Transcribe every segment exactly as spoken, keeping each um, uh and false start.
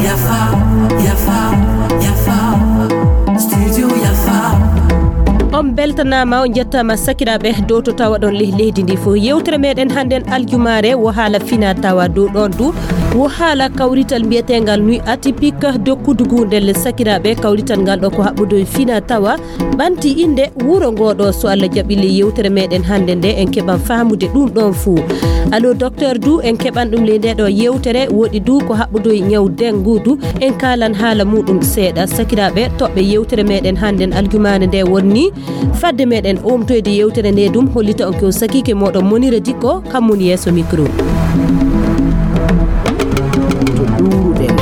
Yafa, yafa, yafa. Studio Yafa. On beltanaama, on njettaama sakiraaɓe dow to tawa ɗon leh-, leydi ndi fof. Yewtere meɗen hannden aljumaare wo haala fina tawa dow ɗon du. Wo haala kawrital mbiyeteengal Nuit Atypique de Koudougou ndelle sakiraaɓe kawrital ngal ɗo ko haɓɓudo e fina tawa. Ɓanti innde wuro ngo ɗo, so Allah jaɓi, ley yewtere meɗen hannde nde, en keɓan faamude ɗum ɗon fuu. Allo Docteur du, en keɓan ɗum ley nde ɗo yewtere. Woɗi du ko haɓɓudo e ñaw dengue du, en kaalan haala muɗum seeɗa. Sakiraaɓe toɓɓe yewtere meɗen hannden aljumaare nde wonni. Fadde meɗen omtoyde yewtere nde dum, hollita on ko sakiike moɗon Monira Dikko, kam woni yeeso micro. To ɗuuruɗen.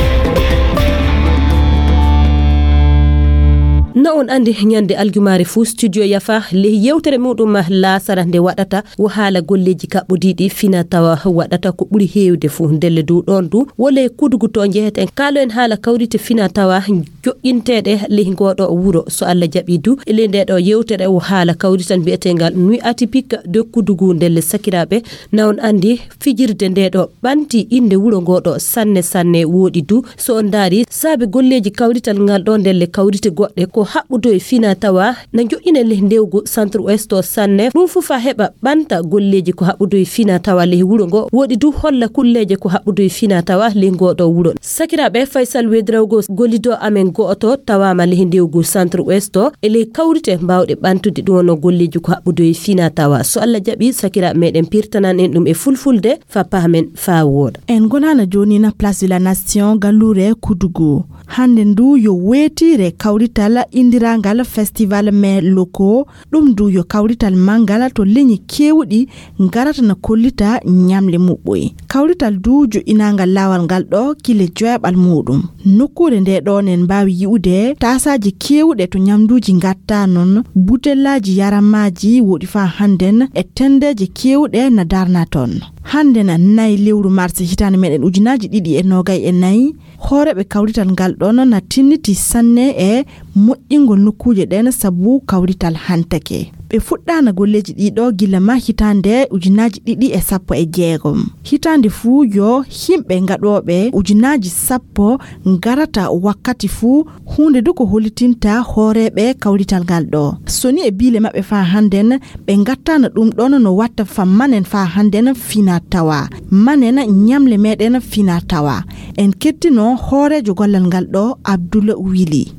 No on anndi, ñande aljumaare fuu, Studio Yafa, ley yewtere muɗum laasara nde waɗata, wo haala golleeji kaɓɓodiiɗi fina tawa waɗata ko ɓuri heewde fuu. Ndelle du ɗon du, wo ley Koudougou to njeheten, kaaloen haala kawrite fina tawa joƴƴinteeɗe ley ngoo ɗo wuro. So Allah jaɓi du, e ley nde ɗo yewtere, wo haala kawrital mbiyeteengal Nuit Atypique de Koudougou. Ndelle sakiraaɓe, na on anndi, fijirde nde ɗo ɓanti innde wuro ngo ɗo sanne sanne. Woɗi du, so on ndaari saabe golleeji kawrital ngal ɗo, ndelle kawrite goɗɗe ko haɓɓudo e fina tawa na joƴƴine ley ndewgu Centre Ouest o sanne. Ɗum fof fa heɓa ɓanta golleeji ko haɓɓudo e fina tawa ley wuro ngo. Woɗi du holla kulleeje ko haɓɓudo e fina tawa ley ngo ɗo wuro. Sakiraaɓe, Faysal Wedrawgo, gollido amen go'oto tawaama ley ndewgu Centre Ouest o, e ley kawrite mbaawɗe ɓantude ɗum wonno golleeji ko haɓɓudo e fina tawa. So Allah jaɓi, sakiraaɓe meɗen pirtanan en ɗum e fulfulde fa paamen fa wooɗa. En ngonana jooni na Place de la Nation, galluure Koudougou. Hannde ndu yo weetiire kawrital inndirangal Festival Mets Locaux. Ɗum ndu yo kawrital manngal to leñi keewɗi ngarata na kollita ñamle muɓɓoy. Kawrital du joƴƴinaangal laawal ngal ɗo kile joyaɓal muɗum. Nokkuure nde ɗo nen mbaawi yi'ude taasaaji keewɗe to ñamduuji ngatta non, butellaaji yaramaaji woɗi faa hannden e tenndeeje keewɗe na darna ton. Hannden nay lewru mars hitaande meɗen ujunaaji ɗiɗi e noogay e nayi, hooreeɓe kawrital ngal ɗon na tinniti sanne e moƴƴingol nokkuuje ɗen sabu kawrital hantake. Ɓe fuɗɗaana golleeji ɗii ɗo gilla ma hitaande ujunaaji ɗiɗi e sappo e jeegom. Hitaande fuu yo himɓe gaɗooɓe ujunaaji sappo ngarata wakkati fuu, huunde du ko hollitinta hooreeɓe kawrital ngal ɗo. So ni e biile maɓɓe faa hannden, ɓe ngattaana ɗum ɗon no watta fa manen faa hannden fina tawa. Manen ñamle meɗen fina tawa. En kettino hooreejo gollal ngal ɗo, Abdoul Wili.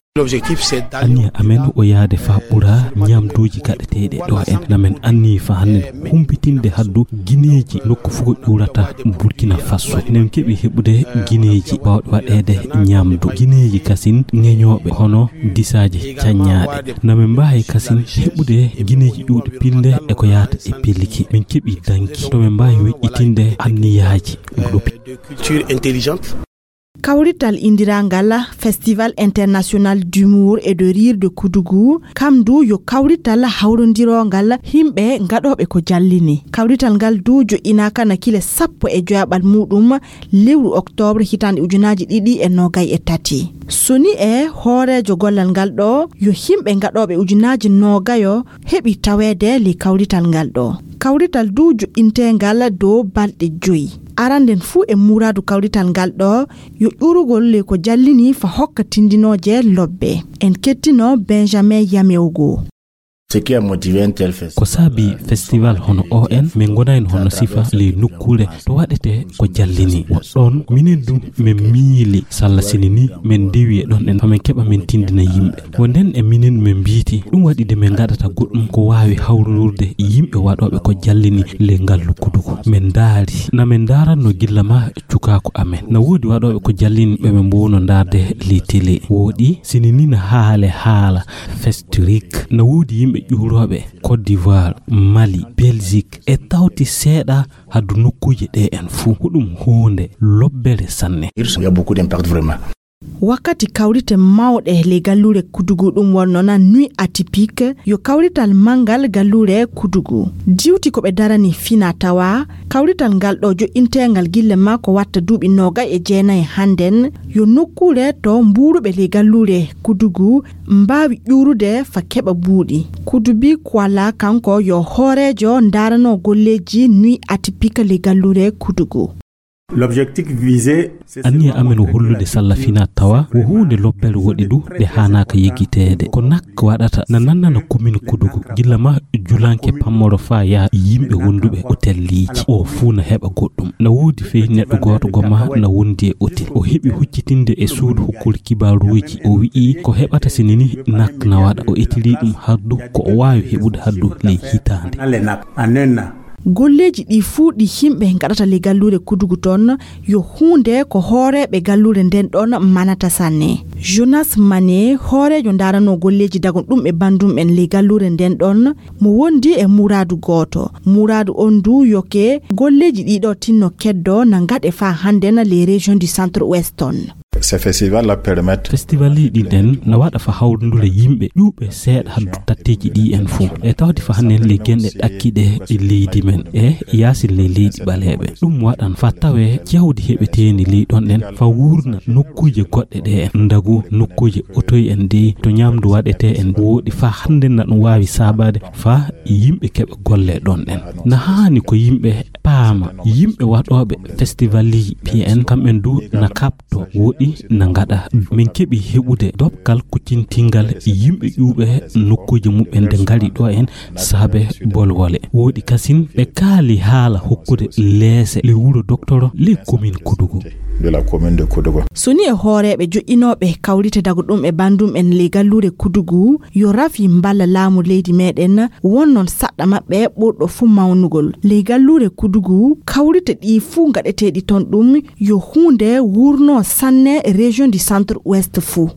Anniya amen o yaade faa ɓura ñamduuji gaɗeteeɗi ɗo en. Namen anniyi faa hannden humpitinde haddu gineeji nokku fof ko ƴuurata Burkina Faso. Enen keɓi heɓude gineeji baawɗe waɗeede ñamdu. Gineeji kasin ŋeñooɓe hono disaaje caññaaɗe. Namen mbaawi kasin heɓude gineeji ƴuuɗi pilnde e ko yaata e pelliki. Min keɓi danki. To men mbaawi weƴƴitinde anniyaaji ɗuuɗi. Kawrital inndirangal Festival International d'Humour et de Rire de Koudougou, kam du yo kawrital hawrondirongal himɓe gaɗooɓe ko jallini. Kawrital ngal du joƴƴinaaka na kile sappo e joyaɓal muɗum lewru oktoobre hitaande ujunaaji ɗiɗi e noogay e tati. So ni e hooreejo gollal ngal ɗo yo himɓe gaɗooɓe ujunaaji noogayo heɓi taweede ley kawrital ngal ɗo. Kawrital du joƴƴinteengal dow balɗe joyi. Aranden fuu e muraadu kawrital ngal ɗo yo ƴuurugol ley ko jallini fa hokka tindinooje lobbe. En kettino Benjamin Yameogo. Ce qui a motivé un tel festival. Ko saabi festival hono o en, min ngonayno hono sifa ley nokkuure to waɗete ko jallini. Wo ɗon minen du min miili salla sini ni min ndewi e ɗon en, fa min keɓa min tindina yimɓe. Wo nden e minen min mbiiti, ɗum waɗi de min ngaɗata goɗɗum ko waawi hawrorde yimɓe waɗooɓe ko jallini ley ngallu Koudougou. Min ndaari, na min ndaaranno gilla ma cukaaku amen. Na woodi waɗooɓe ko jallini ɓe min mboowno ndaarde ley télé. Woɗi, sini ni na haale haala Festurique. Na woodi yimɓe ƴuurooɓe Côte d'Ivoire, Mali, Belgique, e tawti seeɗa haddu nokkuuje ɗe en fuu. Ko ɗum huunde lobbere sanne. Il y a beaucoup d'impact vraiment. Wakkati kawrite mawɗe ley galluure Kudugu ɗum wonno na nuit atypique, yo kawrital manngal galluure Kudugu. Diwti ko ɓe darani fina tawa, kawrital ngal ɗo joƴƴinteengal gille makko watta duuɓi noogay e jeenayi hannden, yo nokkuure to mbuuruɓe ley galluure Kudugu mbaawi ƴuurude fa keɓa buuɗi. Kudubi Kuala kanko yo hooreejo ndaarano golleeji nuit atypique ley galluure Kudugu. L'objectif visé, c'est Anniya seulement amen o montrer que hollude la salla fina tawa ko huunde lobbere woɗi du ɗe haanaaka yeggiteede. Ko nak waɗata na nannana commune Kudugu, gilla ma julanke pammoro faa yaa yimɓe wonduɓe otelliiji. O fuu na heɓa goɗɗum. Na woodi fey neɗɗo gooto goma na wondi e otel. O heɓi huccitinde e suudu hokkude kibaaruuji. O wi'i ko heɓata sinini nak na waɗa. O etili ɗum haddu ko o waawi heɓude haddu ley hitaande. Dans les nappes, en un an. Golleeji ɗi fuu ɗi yimɓe ngaɗata ley galluure Kudugu toon, yo huunde ko hooreeɓe galluure nden ɗon manata sanne. Jonas Mane, hooreejo ndaranoo golleeji dagon ɗum e bandum en ley galluure nden ɗon, mo wondi e muraadu gooto. Muraadu on du yoke golleeji ɗiɗo tinno keddo na ngaɗe faa hannden ley région du centre ouest on. Ces festivals la permettent Festivalji ɗin ɗen na waɗa fa hawrundure yimɓe ƴuuɓe seeɗa haddu tatteeji ɗi en fof. E tawde fa hannen le genɗe ɗakkiɗe e leydi men e yaasin ley leydi ɓaleeɓe. Ɗum waɗan fa tawe jawdi heɓeteeni ley ɗon ɗen fa wurna nokkuuje goɗɗe ɗe en. Ndagu nokkuuje otoy en dey to ñamdu waɗetee en wooɗi fa hannde na ɗum waawi saabaade fa yimɓe keɓa golle ɗon ɗen. Na haani ko yimɓe paama, yimɓe waɗooɓe festivalji P N kamɓen du na kaɓ to woɗi na ngaɗa. Min keɓi heɓude doɓkal kuccintingal yimɓe ƴuuɓe nokkuuje muɓɓen nde ngari ɗo en saabe bolwole. Woɗi kasin ɓe kaali haala hokkude leese le wuro doktoro le commune Kudugu. De la commune de Kodogo. So ni e hooreeɓe joƴƴinooɓe kawrite dago ɗum e bandum en ley galluure Kudugu, yo rafi mballa laamu leydi meɗen, won noon saɗɗa maɓɓe ɓurɗo fuu mawnugol. Ley galluure Kudugu, kawrite ɗi fuu ngaɗeteeɗi toon ɗum, yo huunde wurnoo sanne région du centre ouest fuu.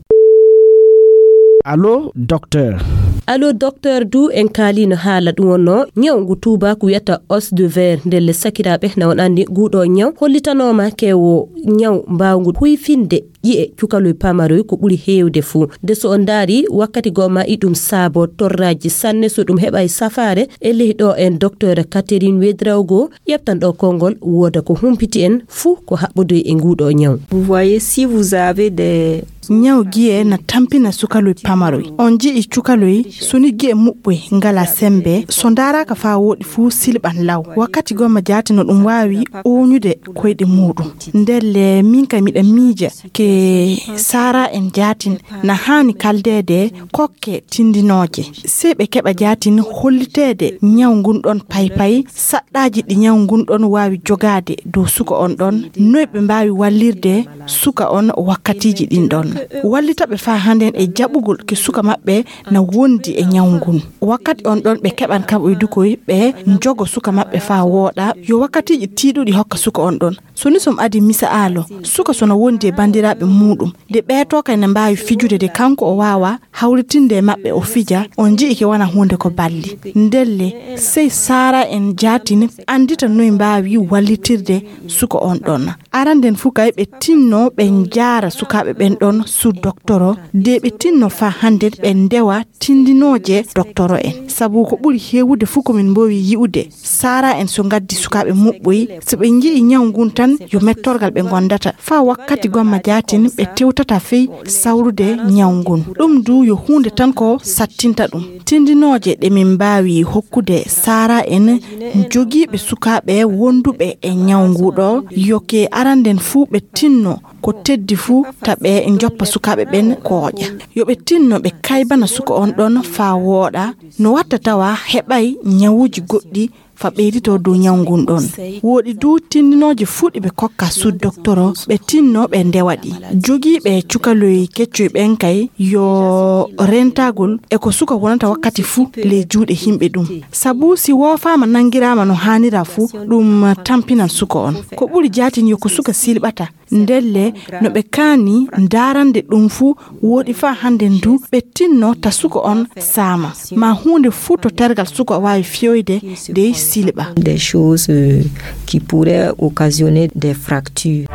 Allo, docteur. Allo, docteur du en kaaliino haala ɗum wonnoo ñaw ngu tuubaaku wiyata os de verre. Ndelle sakiraaɓe na on anndi nguɗo ñaw hollitanooma ke wo ñaw mbaawngu huyfinde ƴi'e cukaloy pamaroy ko ɓuri heewde fuu. Nde so on ndaari wakkati goo ma iɗum saabo torraaji sanne so ɗum heɓa e safaare e ley ɗo en docteur Catherine Wedraogo ƴeftan ɗo konngol wooda ko humpiti en fuu ko haɓɓodoy e nguɗo ñaw. Vous voyez, si vous avez des Ñaw gi'e na tampina sukaloy pamaroy. On ji'i cukaloy suni gi'e muɓɓoy ngala sembe so ndaaraka faa wooɗi fuu silɓan law. Wakkati gomma jaati no ɗum waawi ooñude koyɗe muuɗum. Ndelle min kay miɗa miija ke saara en jaatin na haani kaldeede kokke tindinooje. Sey ɓe keɓa jaatin holliteede ñaw ngun ɗon paypay saɗɗaaji ɗi ñaw ngun ɗon waawi jogaade dow suka on ɗon, noy ɓe mbaawi wallirde suka on wakkatiiji ɗin ɗon. Wallita ɓe faa hannden e jaɓugol ke suka maɓɓe na wondi e ñaw ngun. Wakkati on ɗon ɓe keɓan kaɓoy dukoy ɓe njogo suka maɓɓe faa wooɗa yo wakkatiiji tiiɗuɗi hokka suka on ɗon. So ni som adi misa'aalo, suka so na wondi e banndiraaɓe muuɗum, de ɓeetoo kay na mbaawi fijude de kanko o waawa hawritinde e maɓɓe o fija, on ji'i ke wona huunde ko balli. Ndelle, sey saara en jaatin anndita noy mbaawi wallitirde suka on ɗon. Aranden fuu kay ɓe tinno ɓe njaara sukaaɓe ɓen ɗon su doktoro, de ɓe tinno faa hannden ɓe ndewa tindinooje doktoro en. Sabu ko ɓuri heewude fuu ko min mboowi yi'ude, saara en so ngaddi sukaaɓe muɓɓoy, so ɓe nji'i ñaw ngun tan yo mettorgal ɓe ngondata. Faa wakkati gomma jaatin ɓe tewtata fey sawrude ñaw ngun. Ɗum du yo huunde tan ko sattinta ɗum. Tindinooje ɗe min mbaawi hokkude saara en jogiiɓe sukaaɓe wonduɓe e ñaw ngu ɗo, yo ke aranden fuu ɓe tinno ko teddi fuu ta ɓe njoppa sukaaɓe ɓen kooƴa. Yo ɓe tinno ɓe kaybana suka on ɗon faa wooɗa, no watta tawa heɓay ñawuuji goɗɗi fa ɓeyditoo dow ñaw ngun ɗon. Wooɗi du tindinooje fuu ɗi ɓe kokka su doktoro, ɓe tinno ɓe ndewa ɗi. Jogiiɓe cukaloy keccoy ɓen kay yo rentagol e ko suka wonata wakkati fuu ley juuɗe yimɓe ɗum. Sabu si woofaama nanngiraama no haanira fuu, ɗum tampinan suka on. Ko ɓuri jaatin yo ko suka silɓata. Ndelle, no ɓe kaani ndaarande ɗum fuu, wooɗi faa hannden du ɓe tinno ta suka on saama. Ma huunde fuu to tergal suka waawi fiyoyde dey silɓa. Des choses, euh, qui pourraient occasionner des fractures.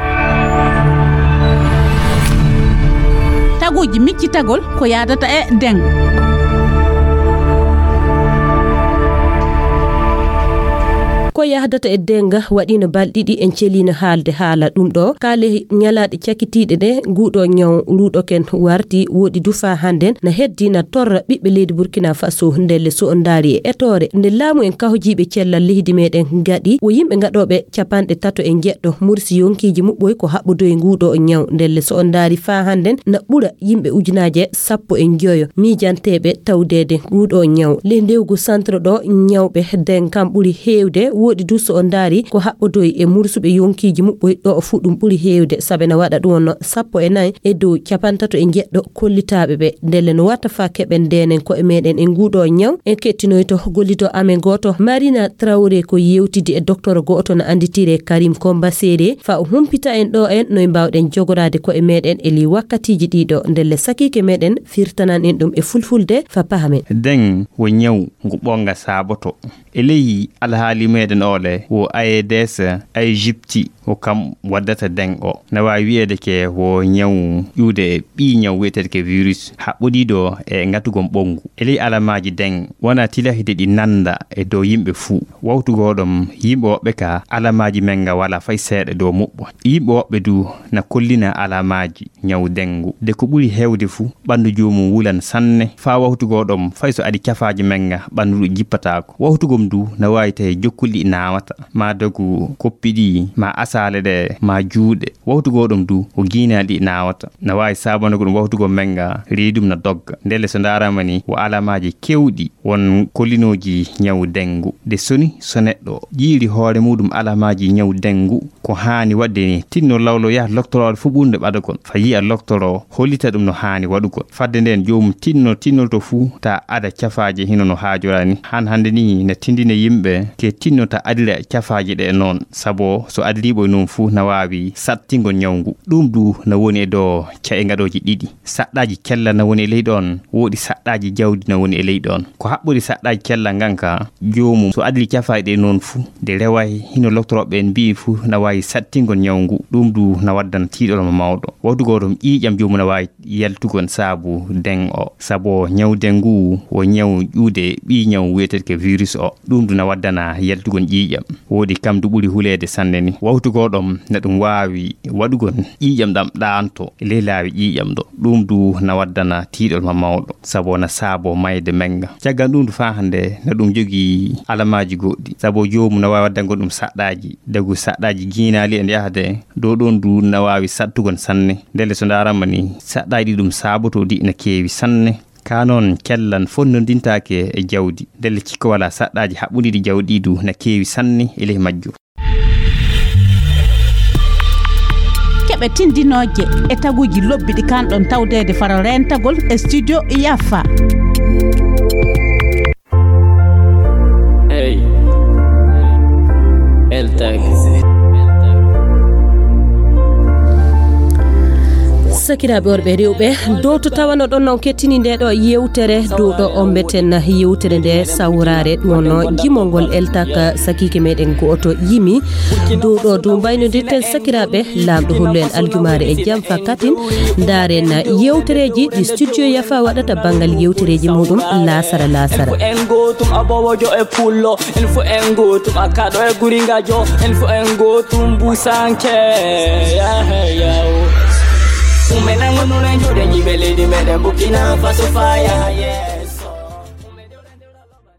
Ɓoji miccitagol ko yaadata e deng. Ko yahdata e denga waɗino balɗe ɗiɗi en celino haalde haala ɗum ɗo. Kaale ñalaaɗe cakitiiɗe ɗe nguɗo ñaw ruɗoken warti woɗi du faa hannden na heddi na torra ɓiɓɓe leydi Burkina Faso. Ndelle so on ndaari e etoore nde laamu en kahojiiɓe cellal leydi meɗen ngaɗi, wo yimɓe ngaɗooɓe capanɗe tato e njeɗɗo mursi yonkiiji muɓɓoy ko haɓɓodoy nguɗo ñaw. Ndelle so on ndaari faa hannden na ɓura yimɓe ujunaaje sappo e njoyo miijanteeɓe tawdeede nguɗo ñaw. Ley ndewgu centre ɗo ñawɓe den kam ɓuri heewde, woɗi du so on ndaari ko haɓɓodoy e mursuɓe yonkiiji muɓɓoy ɗo o fuu ɗum ɓuri heewde, sabe na waɗa ɗum wonno sappo e nayi e dow capantato e njeɗɗo kollitaaɓe ɓe. Ndelle no watta faa keɓen ndenen koye meɗen e nguɗo ñaw, en kettinoyto gollido amen gooto, Marina Traoré, ko yewtidi e docteur gooto no annditire Karim Komba Sere, faa o humpita en ɗo en noy mbaawɗen jogoraade koye meɗen e ley wakkatiiji ɗiɗo. Ndelle sakiike meɗen firtanan en ɗum e fulfulde faa pahamen. Deng wo ñaw ngu ɓonga saaboto. E ley alhaali meɗen ole wo A E D S, Egypti, ko kam waddata deng o. Na waawi wi'eede ke wo ñaw ƴuude ɓii ñaw wi'eteede ke virus haɓɓodiiɗo e ngatugol ɓonngu. E ley alamaaji deng wona tilahide ɗi nannda e dow yimɓe fuu. Wawtu goo ɗom yimɓe woɓɓe ka alamaaji men nga wala fay seeɗa dow muɓɓo. Yimɓe woɓɓe du na kollina alamaaji ñaw dengu. De ko ɓuri heewde fuu, ɓanndu joomum wulan sanne. Faa wawtu goo ɗom, fay so adi cafaaji men nga, ɓanndu ɗum jippataako. Wawtu gom du na waawi tawi jokkuli ɗi naawata, maa dogu koppi ɗi, maa asaale ɗe, maa juuɗe. Wawtu goo ɗom du, ko giinaali ɗi naawata. Na waawi saabanago ɗum wawtu gom men nga, reedum na dogga. Ndelle so ndaarama ni, wo alamaaji kewɗi won kollinooji ñaw dengu. De soni, so neɗɗo ƴiiri hoore muɗum alamaaji ñaw dengu, ko haani waɗde ni, tinno lawlo yaha loktorooɗo fuu ɓurnde ɓadagol. Faa yi'a loktoro hollita ɗum no haani waɗugol. Fadde nden, joomum tinno tinnolto fuu ta ada cafaaje hino no haajora ni. Han hannde ni na tindina yimɓe ke tinno ta adira cafaaje ɗe noon. Sabo so adiriiɓo e noon fuu na waawi sattingol ñaw ngu. Ɗum du na woni e dow ca'e ngaɗooji ɗiɗi. Saɗɗaaji cella na woni e ley ɗoon, woodi saɗɗaaji jawdi na woni e ley ɗoon. Ko haɓɓori saɗɗaaji cella ngan ka, joomum so adli cafaaɗe ɗe noon fuu, de reway hino loktorooɓe ɓen mbi'i fuu na waawi sattingol ñaw ngu, ɗum du na waddana tiiɗol mo mawɗo. Wawtu goo ɗom ƴiiƴam joomum na waawi yaltugol saabu den o. Sabo ñaw den ngu wo ñaw ƴuude ɓii ñaw wi'eteeɗo ke virus o. Ɗum du na waddana yaltugol ƴiiƴam. Woodi kam du ɓuri huleede sanne ni. Wawtu goo ɗom na ɗum waawi waɗugol ƴiiƴam ɗam ɗaanto e ley laawi ƴiiƴam ɗo. Ɗum du na waddana tiiɗol ma mawɗo, sabo na saabo mayde men nga. Caggal ɗum du faa hannde na ɗum jogii alamaaji goɗɗi, sabo joomum na waawi waddangol ɗum saɗɗaaji. Dagu saɗɗaaji giinaali e yahde dow ɗon du na waawi saɗtugol sanne. Ndelle so ndaarama ni, saɗɗaaji ɗi ɗum saabotoo ɗi na keewi sanne. Ka noon, cella fonnondintaake e jawdi. Ndelle cikka walaa saɗɗaaji haɓɓundiiɗi jawdi du na keewi sanne e ley majjum. Keɓe tindinooje e taguuji lobbi ɗi kaanɗon tawdeede faro reentagol e studio Yafa. Hey. Eltak. Sakiraaɓe worɓe e rewɓe, dow to tawano ɗon non kettini nde ɗo yewtere, dow ɗo ombeten yewtere nde sawraare, ɗum wonno jimol ngol Eltak sakiike meɗen go'oto yimi. Dow ɗo du mbaynodirten sakiraaɓe, Laamɗo hollu en aljumaare e jam fa katin. Ndaaren yewtereeji ɗi studio Yafa waɗata banngal yewtereeji muɗum laasara laasara. En gootum aboowojo e pullo, en fu en gootum akkaɗo e guringajo, en fu en gootum busanke. Yahe yawo. Umen an wonno en juuɗe yimɓe leydi meɗen Burkina Faso fa yaha yeeso.